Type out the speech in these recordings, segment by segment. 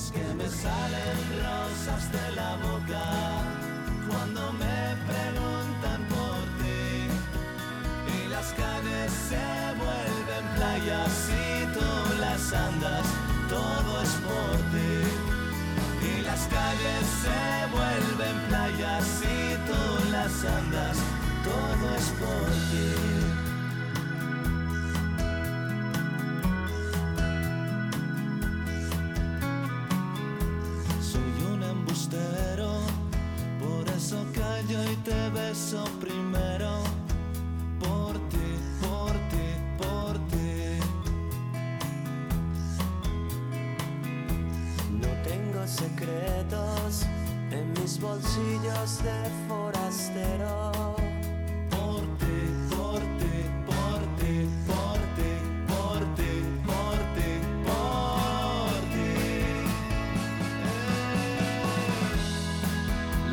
Es que me salen rosas de la boca cuando me preguntan por ti. Y las calles se vuelven playas y tú las andas, todo es por ti. Y las calles se vuelven playas y tú las andas, todo es por ti. Por eso callo y te beso primero. Por ti, por ti, por ti. No tengo secretos en mis bolsillos de forastero. Por ti, por ti, por ti, por ti, por ti, por ti, por ti.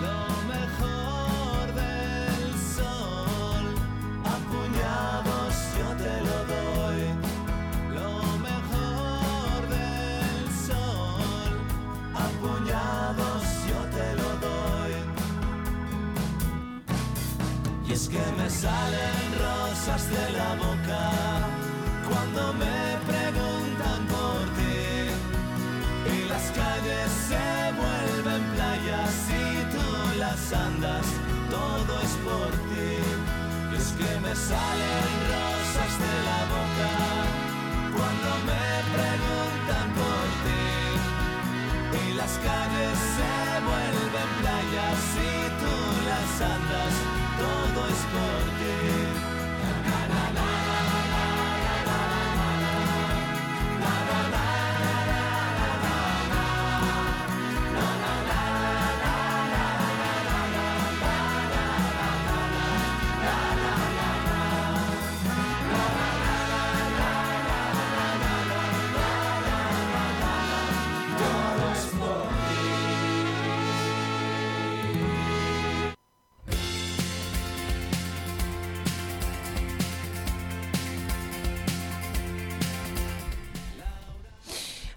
Lo mejor del sol, a puñados yo te lo doy. Lo mejor del sol, a puñados yo te lo doy. Y es que me salen rosas de la boca cuando me preguntan por ti. Y las calles se vuelven playas y tú las andas, todo es por ti. Y es que me salen rosas de la boca cuando me preguntan por ti. Y las calles se vuelven playas y tú las andas, todo es por ti.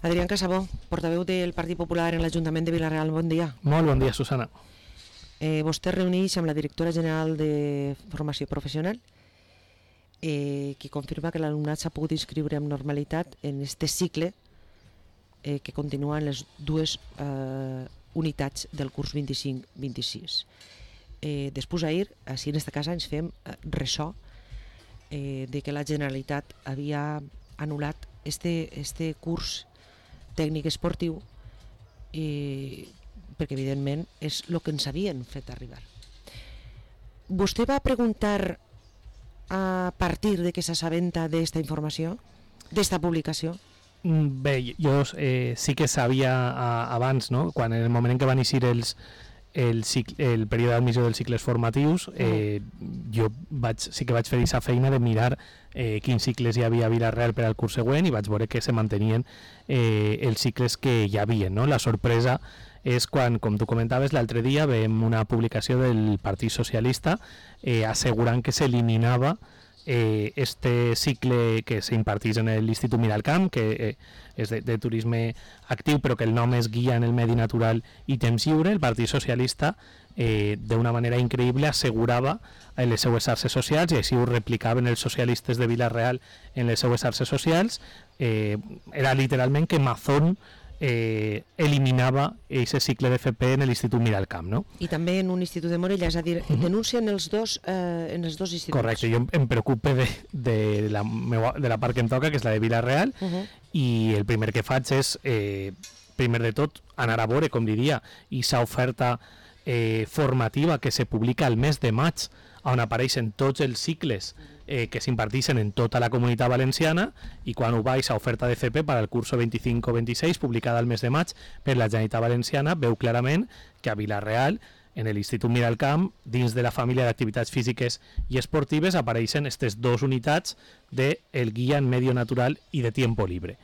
Adrián Casabó, portaveu del Partit Popular en l'Ajuntament de Vila-real, bon dia. Molt bon dia, Susana. Vostè reuneix amb la directora general de Formació Professional, que confirma que l'alumnat s'ha pogut inscriure amb normalitat en este cicle que continua en les dues unitats del curs 25-26. Després ahir, així en aquesta casa, ens fem ressò de que la Generalitat havia anul·lat este curs tècnic esportiu perquè evidentment és el que ens havien fet arribar. Vostè va preguntar a partir de que s'assabenta d'esta informació, d'esta publicació? Bé, jo sí que sabia abans, no? Quan en el moment en què van eixir el període d'admissió dels cicles formatius, jo sí que vaig fer aquesta feina de mirar quins cicles hi havia a Vila-real per al curs següent i vaig veure que se mantenien els cicles que hi havia, no? La sorpresa és quan, com tu comentaves, l'altre dia veiem una publicació del Partit Socialista assegurant que s'eliminava este cicle que s'impartís en l'Institut Miralcamp, que és de turisme actiu, però que el nom és Guia en el Medi Natural i Temps Lliure. El Partit Socialista, d'una manera increïble, assegurava en les seues xarxes socials, i així ho replicaven els socialistes de Vila-real en les seues xarxes socials, era literalment que Mazón eliminava aquest cicle d'FP en l'Institut Miralcamp, no? I també en un institut de Morella, és a dir, denuncien els dos instituts. Correcte, jo em preocupe de la part que em toca, que és la de Vila-real, i el primer que faig és, primer de tot, anar a veure, com diria, aquesta oferta formativa que se publica al mes de maig, on apareixen tots els cicles que s'imparteixen en tota la Comunitat Valenciana, i quan ho vaig a oferta de FP per al curso 25-26, publicada al mes de maig per la Generalitat Valenciana, veu clarament que a Vila-real, en l'Institut Miralcamp, dins de la família d'activitats físiques i esportives, apareixen aquestes dues unitats del Guia en Medi Natural i de Tiempo Libre.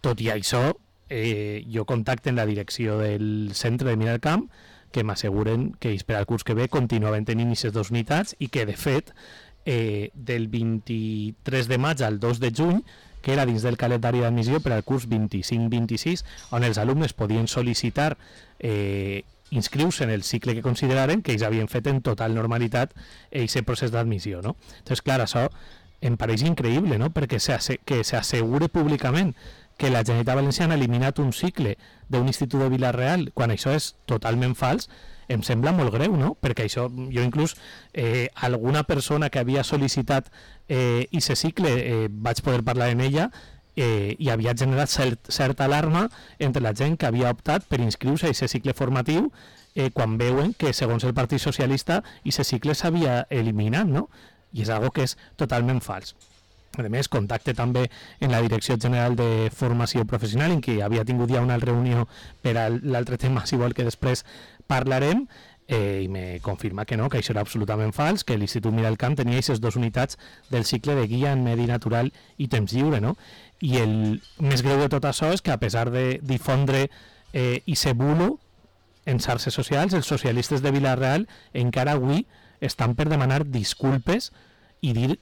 Tot i això, jo contacte en la direcció del centre de Miralcamp, que m'asseguren que per al curs que ve continuaven tenint aquestes dues unitats i que, de fet, del 23 de maig al 2 de juny que era dins del calendari d'admissió per al curs 25-26, on els alumnes podien sol·licitar inscriure-se en el cicle que consideraren que ells havien fet en total normalitat aquest procés d'admissió, no? Entonces, clar, això em pareix increïble, no? Perquè que s'assegure públicament que la Generalitat Valenciana ha eliminat un cicle d'un institut de Vila-real quan això és totalment fals, em sembla molt greu, no? Perquè això, jo inclús alguna persona que havia sol·licitat aquest cicle vaig poder parlar amb ella i havia generat certa alarma entre la gent que havia optat per inscriure-se a aquest cicle formatiu quan veuen que, segons el Partit Socialista, aquest cicle s'havia eliminat, no? I és algo que és totalment fals. A més, contacte també en la Direcció General de Formació Professional, en què havia tingut ja una reunió per a l'altre tema, si vol que després parlarem, i me confirma que no, que això era absolutament fals, que l'Institut Miralcamp tenia aquestes 2 unitats del cicle de guia en medi natural i temps lliure, no? I el més greu de tot això és que, a pesar de difondre i ser bulo en xarxes socials, els socialistes de Vila-real encara avui estan per demanar disculpes i dir,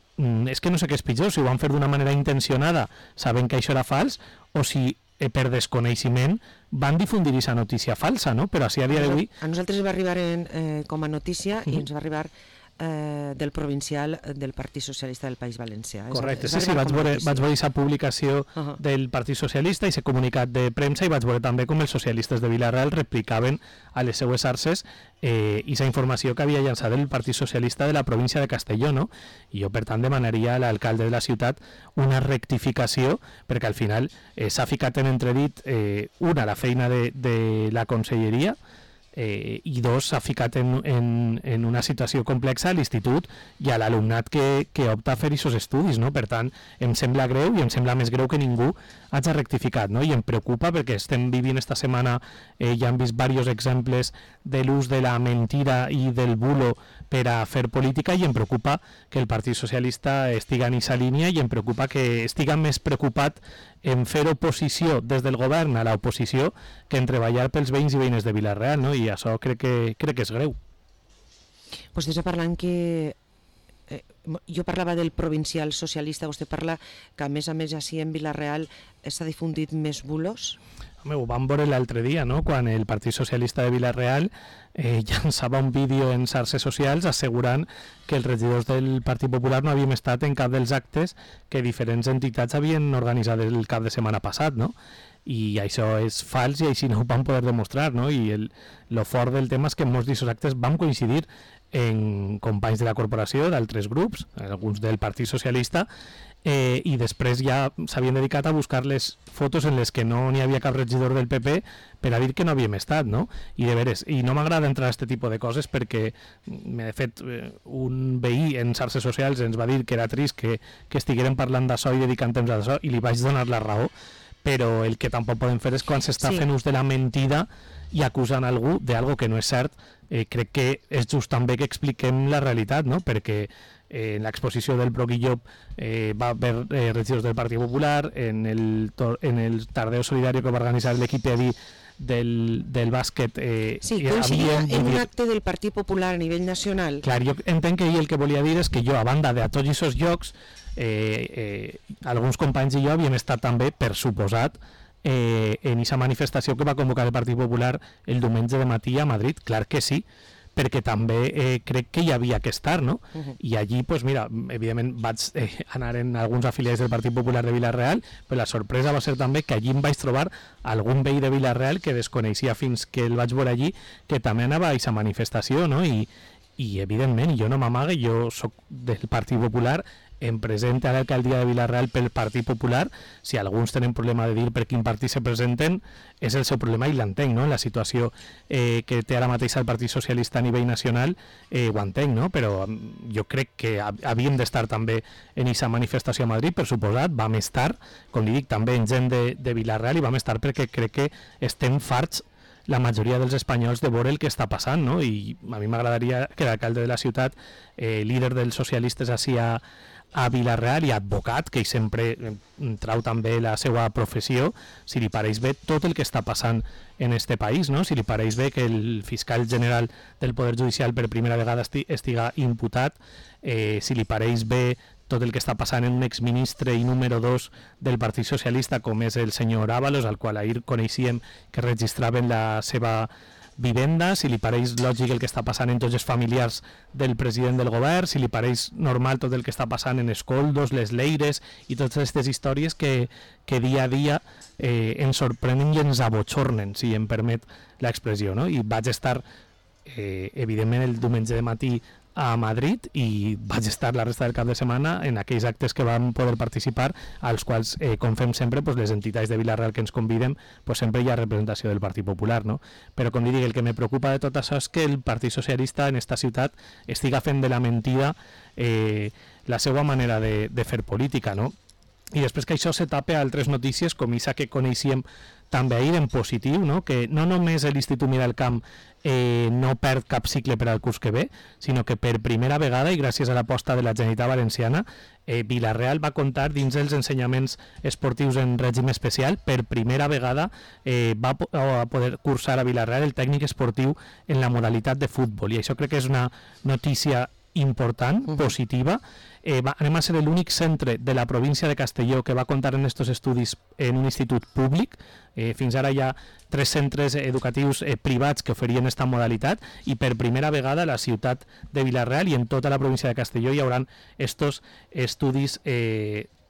és que no sé què és pitjor, si ho van fer d'una manera intencionada sabent que això era fals, o si per desconeixement van difundir aquesta notícia falsa, no? Però així a dia d'avui... A nosaltres va arribar com a notícia i ens va arribar del provincial del Partit Socialista del País Valencià. Correcte, sí, vaig veure aquesta publicació del Partit Socialista i aquest comunicat de premsa, i vaig veure també com els socialistes de Vila-real replicaven a les seues xarxes aquesta informació que havia llançat el Partit Socialista de la província de Castelló, no? I jo, per tant, demanaria a l'alcalde de la ciutat una rectificació, perquè al final s'ha ficat en entredit una, la feina de la conselleria, i 2, s'ha ficat en una situació complexa a l'institut i a l'alumnat que opta a fer aquests estudis, no? Per tant, em sembla greu, i em sembla més greu que ningú hagi rectificat, no? I em preocupa perquè estem vivint esta setmana, ja hem vist diversos exemples de l'ús de la mentira i del bulo per a fer política, i em preocupa que el Partit Socialista estiga en aquesta línia, i em preocupa que estiga més preocupat en fer oposició des del govern a l'oposició que en treballar pels veïns i veïnes de Vila-real, no? I això crec que és greu. Vostè està parlant que... jo parlava del provincial socialista, vostè parla que a més així en Vila-real s'ha difundit més bulos? Home, ho vam veure l'altre dia, no? Quan el Partit Socialista de Vila-real llançava un vídeo en xarxes socials assegurant que els regidors del Partit Popular no havíem estat en cap dels actes que diferents entitats havien organitzat el cap de setmana passat, no? I això és fals i així no ho vam poder demostrar, no? I lo fort del tema és que en molts d'aquests actes vam coincidir en companys de la corporació, d'altres grups, alguns del Partit Socialista, i després ja s'havien dedicat a buscar les fotos en les que no n'hi havia cap regidor del PP per a dir que no havíem estat, no? I de veres, i no m'agrada entrar a aquest tipus de coses perquè, de fet, un veí en xarxes socials ens va dir que era trist que estiguérem parlant d'això i dedicant temps a això, i li vaig donar la raó, però el que tampoc podem fer és quan s'està fent ús de la mentida i acusant algú d'algo que no és cert. Crec que és just també que expliquem la realitat, no? Perquè en l'exposició del Broguillop va haver regidors del Partit Popular, en el Tardeo Solidario que va organitzar l'equip EDI del bàsquet. Sí, coincidia en un acte del Partit Popular a nivell nacional. Clar, jo entenc que ell el que volia dir és que jo, a banda de a tots aquests llocs, alguns companys i jo havíem estat també, per suposat, en aquesta manifestació que va convocar el Partit Popular el diumenge de matí a Madrid. Clar que sí, perquè també crec que hi havia que estar, no? I allí, pues mira, evidentment vaig anar en alguns afiliats del Partit Popular de Vila-real, però la sorpresa va ser també que allí em vaig trobar algun veí de Vila-real que desconeixia fins que el vaig veure allí, que també anava a aquesta manifestació, no? I evidentment, jo no m'amague, jo soc del Partit Popular, em presenta a l'alcaldia de Vila-real pel Partit Popular. Si alguns tenen problema de dir per quin partit se presenten, és el seu problema i l'entenc, no? La situació que té ara mateix el Partit Socialista a nivell nacional ho entenc, no? Però jo crec que havíem d'estar també en aquesta manifestació a Madrid, per suposat, vam estar, com li dic, també en gent de Vila-real, i vam estar perquè crec que estem farts la majoria dels espanyols de veure el que està passant, no? I a mi m'agradaria que l'alcalde de la ciutat, líder dels socialistes així a Vila-real i advocat, que ell sempre trau també la seva professió, si li pareix bé tot el que està passant en este país, no? Si li pareix bé que el fiscal general del Poder Judicial per primera vegada estiga imputat, si li pareix bé tot el que està passant en un exministre i número 2 del Partit Socialista, com és el senyor Ábalos, al qual ahir coneixíem que registraven la seva vivenda, si li pareix lògic el que està passant en tots els familiars del president del govern, si li pareix normal tot el que està passant en Escoldos, les Leires i totes aquestes històries que dia a dia ens sorprenen i ens abotxornen, si em permet l'expressió, no? I vaig estar evidentment el diumenge de matí a Madrid i vaig estar la resta del cap de setmana en aquells actes que vam poder participar, als quals, com fem sempre, les entitats de Vila-real que ens conviden, sempre hi ha representació del Partit Popular, no? Però, com li dic, el que me preocupa de tot això és que el Partit Socialista en esta ciutat estiga fent de la mentida la seva manera de fer política, no? I després que això se tape a altres notícies, com aquesta que coneixíem també ahir en positiu, no? Que no només l'Institut Miralcamp no perd cap cicle per al curs que ve, sinó que per primera vegada, i gràcies a l'aposta de la Generalitat Valenciana, Vila-real va comptar dins dels ensenyaments esportius en règim especial, per primera vegada va poder cursar a Vila-real el tècnic esportiu en la modalitat de futbol, i això crec que és una notícia important, positiva. Anem a ser l'únic centre de la província de Castelló que va comptar en aquests estudis en un institut públic. Fins ara hi ha 3 centres educatius privats que oferien aquesta modalitat i per primera vegada a la ciutat de Vila-real i en tota la província de Castelló hi haurà aquests estudis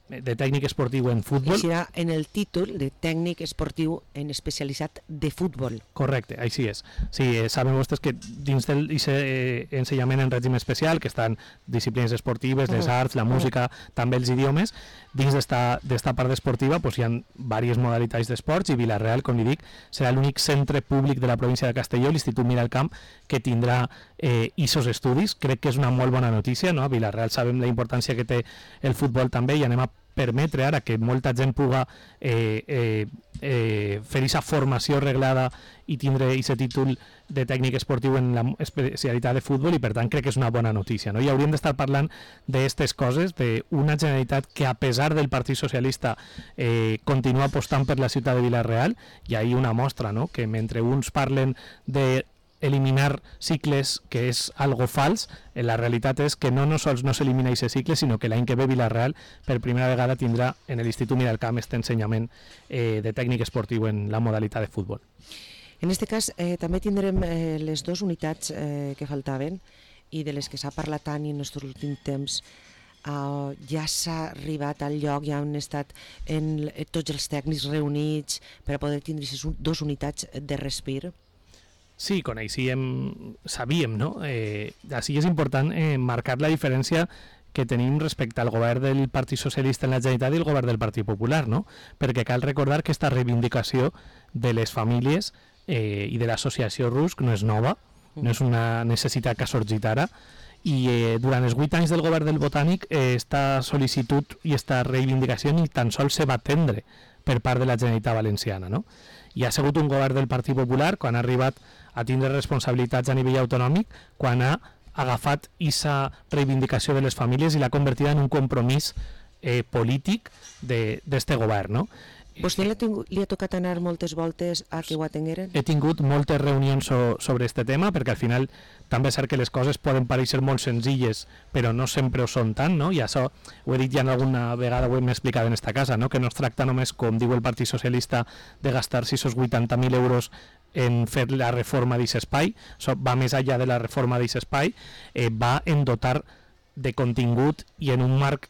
de tècnic esportiu en futbol. I serà en el títol de tècnic esportiu en especialitzat de futbol. Correcte, així és. Sí, saben vostès que dins del ensenyament en règim especial, que estan disciplines esportives, les arts, la música, també els idiomes, dins d'esta part esportiva hi ha diverses modalitats d'esports i Vila-real, com li dic, serà l'únic centre públic de la província de Castelló, l'Institut Miralcamp, que tindrà aquests estudis. Crec que és una molt bona notícia, no? A Vila-real sabem la importància que té el futbol també i anem a permetre ara que molta gent puga fer aquesta formació reglada i tindre aquest títol de tècnic esportiu en la especialitat de futbol i per tant crec que és una bona notícia, no? I hauríem d'estar parlant d'aquestes coses, d'una Generalitat que a pesar del Partit Socialista continua apostant per la ciutat de Vila-real, i ahí una mostra, no? Que mentre uns parlen de eliminar cicles, que és algo fals, la realitat és que no sols no s'elimina aquest cicle, sinó que l'any que ve Vila-real per primera vegada tindrà en l'Institut Miralcamp aquest ensenyament de tècnic esportiu en la modalitat de futbol. En aquest cas també tindrem les 2 unitats que faltaven i de les que s'ha parlat tant i en els últims temps ja s'ha arribat al lloc, ja han estat tots els tècnics reunits per a poder tindre aquestes 2 unitats de respir. Sí, sabíem, no? Així és important marcar la diferència que tenim respecte al govern del Partit Socialista en la Generalitat i el govern del Partit Popular, no? Perquè cal recordar que aquesta reivindicació de les famílies i de l'associació RUSC no és nova, no és una necessitat que ha sorgit ara, i durant els 8 anys del govern del Botànic esta sol·licitud i esta reivindicació ni tan sols se va atendre per part de la Generalitat Valenciana, no? I ha sigut un govern del Partit Popular quan ha arribat a tindre responsabilitats a nivell autonòmic, quan ha agafat aquesta reivindicació de les famílies i l'ha convertida en un compromís polític d'este govern, no? Vostè li ha tocat anar moltes voltes a que ho atengueren? He tingut moltes reunions sobre aquest tema, perquè al final també és cert que les coses poden pareixer molt senzilles, però no sempre ho són tant, no? I això ho he dit ja alguna vegada, ho hem explicat en esta casa, no? Que no es tracta només, com diu el Partit Socialista, de gastar-se esos 80.000 euros en fer la reforma d'aquest espai, això va més enllà de la reforma d'aquest espai, va en dotar de contingut i en un marc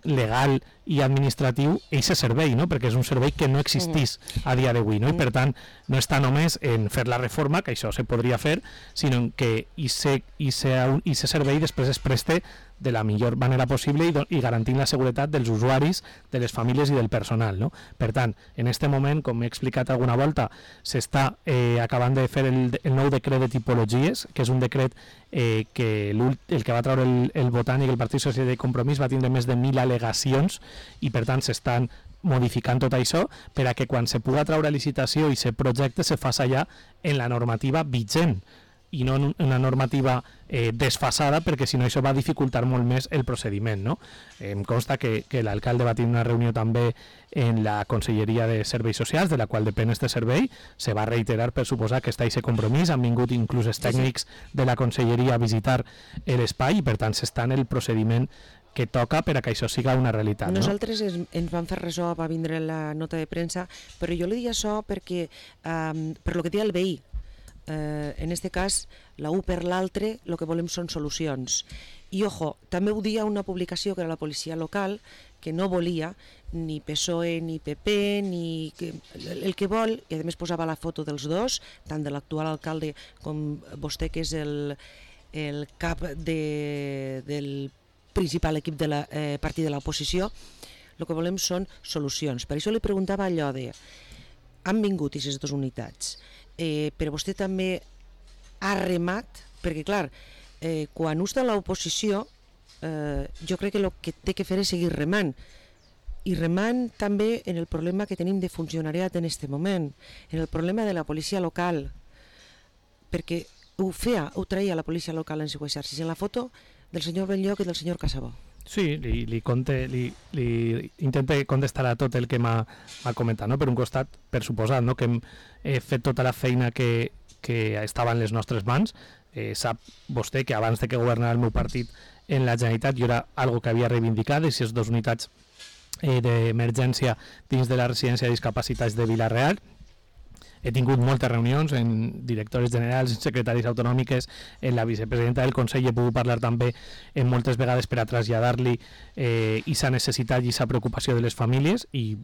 legal i administratiu aquest servei, no? Perquè és un servei que no existís a dia d'avui, no? I per tant no està només en fer la reforma, que això se podria fer, sinó que aquest servei després es preste de la millor manera possible i garantint la seguretat dels usuaris, de les famílies i del personal, no? Per tant, en aquest moment, com he explicat alguna volta, s'està acabant de fer el nou decret de tipologies, que és un decret que el que va treure el Botànic, el Partit Socialista i Compromís, va tindre més de 1.000 al·legacions i per tant s'estan modificant tot això per a que quan se puga treure a licitació i se projecte se faci ja en la normativa vigent i no en una normativa desfasada, perquè si no això va dificultar molt més el procediment, no? Em consta que l'alcalde va tenir una reunió també en la Conselleria de Serveis Socials, de la qual depèn este servei, se va reiterar per suposar que està aquest compromís, han vingut inclús els tècnics de la Conselleria a visitar l'espai i per tant s'està en el procediment que toca per a que això siga una realitat. Nosaltres ens vam fer ressò, va vindre la nota de premsa, però jo li dic això perquè, per lo que deia el veí, en este cas, la un per l'altre, el que volem són solucions. I, ojo, també ho dia una publicació que era la policia local, que no volia ni PSOE ni PP, ni el que vol, i a més posava la foto dels dos, tant de l'actual alcalde com vostè, que és el cap del principal equip de partit de l'oposició. El que volem són solucions. Per això li preguntava allò de, han vingut aquestes dues unitats, però vostè també ha remat, perquè clar, quan està a l'oposició, jo crec que el que té que fer és seguir remant, i remant també en el problema que tenim de funcionariat en aquest moment, en el problema de la policia local, perquè ho traia la policia local en seu exercici, en la foto del senyor Benlloc i del senyor Casabó. Sí, li intente contestar a tot el que m'ha comentat, no? Per un costat, per suposat, no? Que hem fet tota la feina que estava en les nostres mans. Sap vostè que abans de que governara el meu partit en la Generalitat jo era algo que havia reivindicat, aquestes dues unitats d'emergència dins de la residència de discapacitats de Vila-real. He tingut moltes reunions en directores generals, en secretaris autonòmiques, en la vicepresidenta del Consell, he pogut parlar també en moltes vegades per a traslladar-li aquesta necessitat i aquesta preocupació de les famílies, i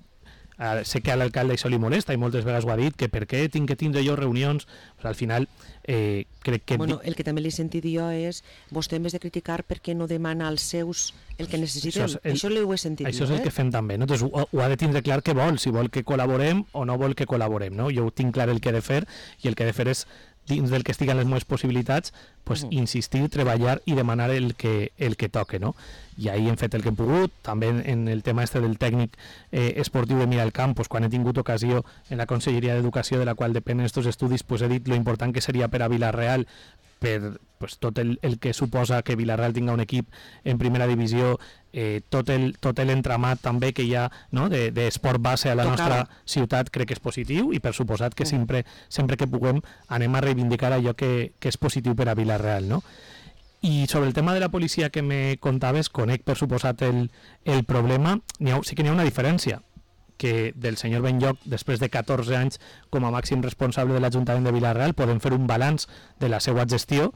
sé que a l'alcalde això li molesta i moltes vegades ho ha dit, que per què tinc que tindre jo reunions. Pues al final crec que... Bueno, el que també li he sentit jo és, vostè en vez de criticar, per què no demana als seus el que necessitem? Això ho he sentit això jo. És el que fem també, no? Entonces, ho ha de tindre clar què vol, si vol que col·laborem o no vol que col·laborem, no? Jo ho tinc clar el que he de fer, i el que he de fer és, dins del que estiguen les meves possibilitats, pues, insistir, treballar i demanar el que toque, no? I ahir hem fet el que hem pogut, també en el tema del tècnic esportiu de Miralcamp, pues, quan he tingut ocasió en la Conselleria d'Educació, de la qual depenen aquests estudis, pues, he dit lo important que seria per a Vila-real, per pues, tot el que suposa que Vila-real tinga un equip en primera divisió, tot l'entramat també que hi ha, no, d'esport base a la nostra ciutat, crec que és positiu, i per suposat que sempre que puguem anem a reivindicar allò que és positiu per a Vila-real, no? I sobre el tema de la policia que me contaves, conec per suposat el problema. Sí que n'hi ha una diferència, que del senyor Benlloc, després de 14 anys com a màxim responsable de l'Ajuntament de Vila-real, podem fer un balanç de la seva gestió,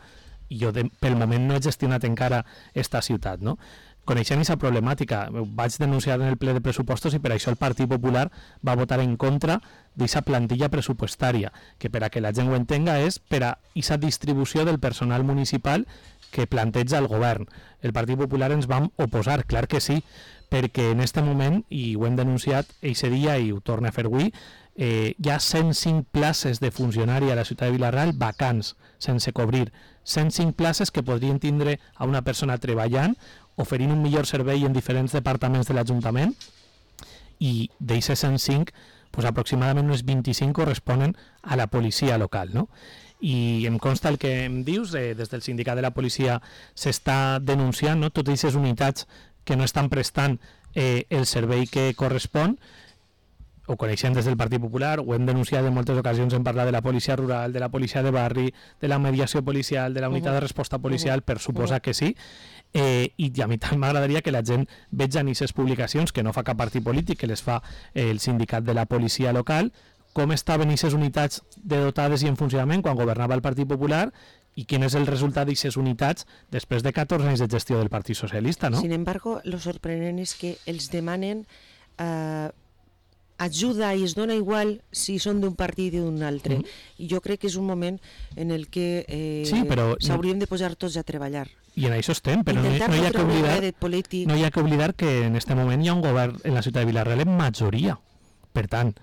i jo pel moment no he gestionat encara esta ciutat, no? Coneixent aquesta problemàtica, vaig denunciar en el ple de pressupostos, i per això el Partit Popular va votar en contra d'aquesta plantilla pressupostària, que per a que la gent ho entenga és per a aquesta distribució del personal municipal que planteja el govern. El Partit Popular ens vam oposar, clar que sí, perquè en aquest moment, i ho hem denunciat eixe dia i ho torno a fer avui, hi ha 105 places de funcionari a la ciutat de Vila-real vacants, sense cobrir. 105 places que podrien tindre a una persona treballant, oferint un millor servei en diferents departaments de l'Ajuntament, i d'aquestes 105, pues, aproximadament unes 25 corresponen a la policia local, no? I em consta el que em dius, des del sindicat de la policia s'està denunciant, no, totes aquestes unitats que no estan prestant el servei que correspon. Ho coneixem des del Partit Popular, ho hem denunciat en moltes ocasions, hem parlat de la policia rural, de la policia de barri, de la mediació policial, de la unitat de resposta policial, per suposar que sí, i a mi també m'agradaria que la gent veja en aquestes publicacions, que no fa cap partit polític, que les fa el sindicat de la policia local, com estaven aquestes unitats dotades i en funcionament quan governava el Partit Popular, i quin és el resultat d'aquestes unitats després de 14 anys de gestió del Partit Socialista, no? Sin embargo, lo sorprenent és que els demanen ajuda, i es dona igual si són d'un partit i d'un altre. I jo crec que és un moment en el que s'hauríem de posar tots a treballar. I en això estem, però no hi ha que oblidar que en aquest moment hi ha un govern en la ciutat de Vila-real en majoria. Per tant,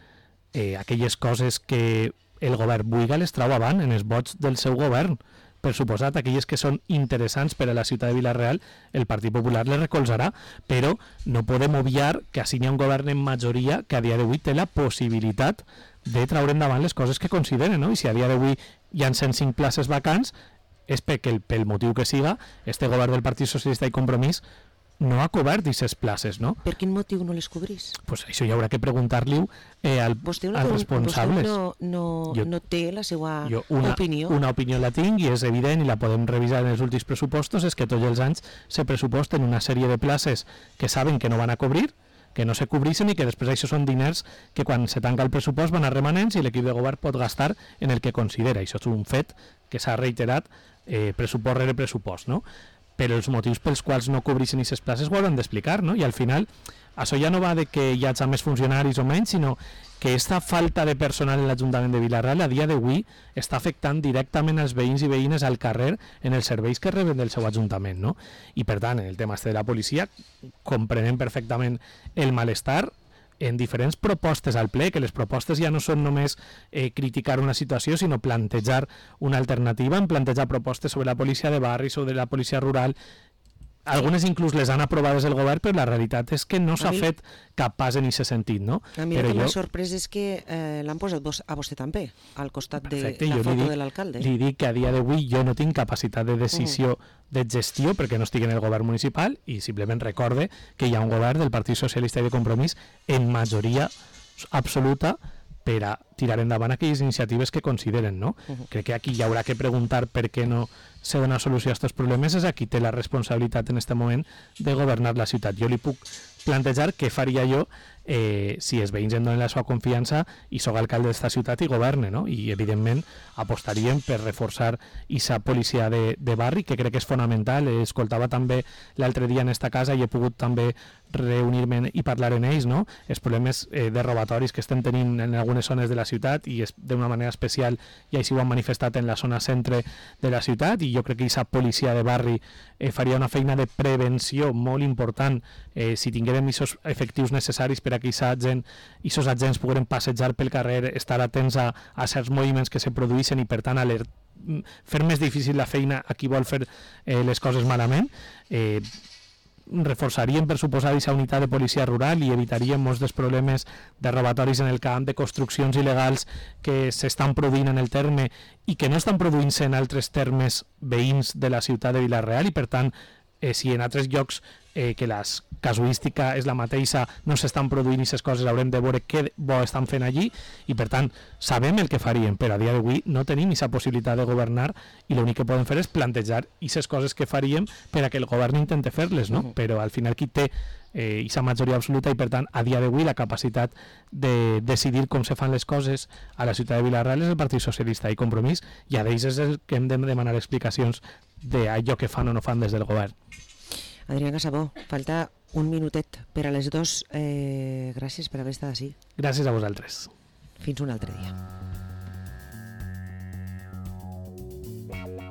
aquelles coses que el govern vulgui les trau avant en els vots del seu govern. Per suposat, aquelles que són interessants per a la ciutat de Vila-real, el Partit Popular les recolzarà, però no podem obviar que així hi ha un govern en majoria que a dia d'avui té la possibilitat de traure endavant les coses que consideren, no? I si a dia d'avui hi ha 105 places vacants, és perquè pel motiu que siga, este govern del Partit Socialista i Compromís no ha cobert aquestes places, no? Per quin motiu no les cobrís? Pues això hi haurà que preguntar-li als responsables. Vostè no té la seva opinió? Una opinió la tinc i és evident i la podem revisar en els últims pressupostos, és que tots els anys se pressuposten una sèrie de places que saben que no van a cobrir, que no se cobreixen i que després això són diners que quan se tanca el pressupost van a remanents i l'equip de govern pot gastar en el que considera. Això és un fet que s'ha reiterat pressupost rere pressupost, no? Però els motius pels quals no cobreixen aquestes places ho hauran d'explicar, no? I al final això ja no va de que hi hagi més funcionaris o menys, sinó que aquesta falta de personal en l'Ajuntament de Vila-real a dia d'avui està afectant directament els veïns i veïnes al carrer en els serveis que reben del seu Ajuntament, no? I per tant, en el tema de la policia, comprenem perfectament el malestar en diferents propostes al ple, que les propostes ja no són només criticar una situació, sinó plantejar una alternativa, en plantejar propostes sobre la policia de barri, sobre la policia rural. Algunes inclús les han aprovades el govern, però la realitat és que no s'ha fet cap pas en aquest sentit, no? A mi el que m'ha sorprès és que l'han posat a vostè també, al costat de la foto de l'alcalde. Li dic que a dia d'avui jo no tinc capacitat de decisió de gestió perquè no estic en el govern municipal i simplement recorde que hi ha un govern del Partit Socialista i de Compromís en majoria absoluta per a tirar endavant aquelles iniciatives que consideren, no? Crec que aquí hi haurà que preguntar per què no se dona solució a aquests problemes, és a qui té la responsabilitat en aquest moment de governar la ciutat. Jo li puc plantejar què faria jo si els veïns em donen la seva confiança i soc alcalde d'esta ciutat i governe, no? I evidentment apostaríem per reforçar aquesta policia de barri, que crec que és fonamental. Escoltava també l'altre dia en esta casa i he pogut també reunir-me i parlar en ells, no? Els problemes de robatoris que estem tenint en algunes zones de la ciutat i d'una manera especial i així ho han manifestat en la zona centre de la ciutat, i jo crec que aquesta policia de barri faria una feina de prevenció molt important si tinguérem aquests efectius necessaris per a que aquests agents pogueren passejar pel carrer, estar atents a certs moviments que se produeixen i per tant fer més difícil la feina a qui vol fer les coses malament. Reforçaríem, per suposar, aquesta unitat de policia rural i evitaríem molts dels problemes de robatoris en el camp, de construccions il·legals que s'estan produint en el terme i que no estan produint-se en altres termes veïns de la ciutat de Vila-real, i per tant si en altres llocs que la casuística és la mateixa no s'estan produint aquestes coses, haurem de veure què bo estan fent allí i per tant sabem el que faríem, però a dia d'avui no tenim aquesta possibilitat de governar i l'únic que podem fer és plantejar aquestes coses que faríem per a que el govern intente fer-les, no? Però al final qui té aquesta majoria absoluta i per tant a dia d'avui la capacitat de decidir com se fan les coses a la ciutat de Vila-real és el Partit Socialista i Compromís, i a d'ells és el que hem de demanar explicacions d'allò que fan o no fan des del govern. Adrià Casabó, falta un minutet per a les 2. Gràcies per haver estat així. Gràcies a vosaltres. Fins un altre dia.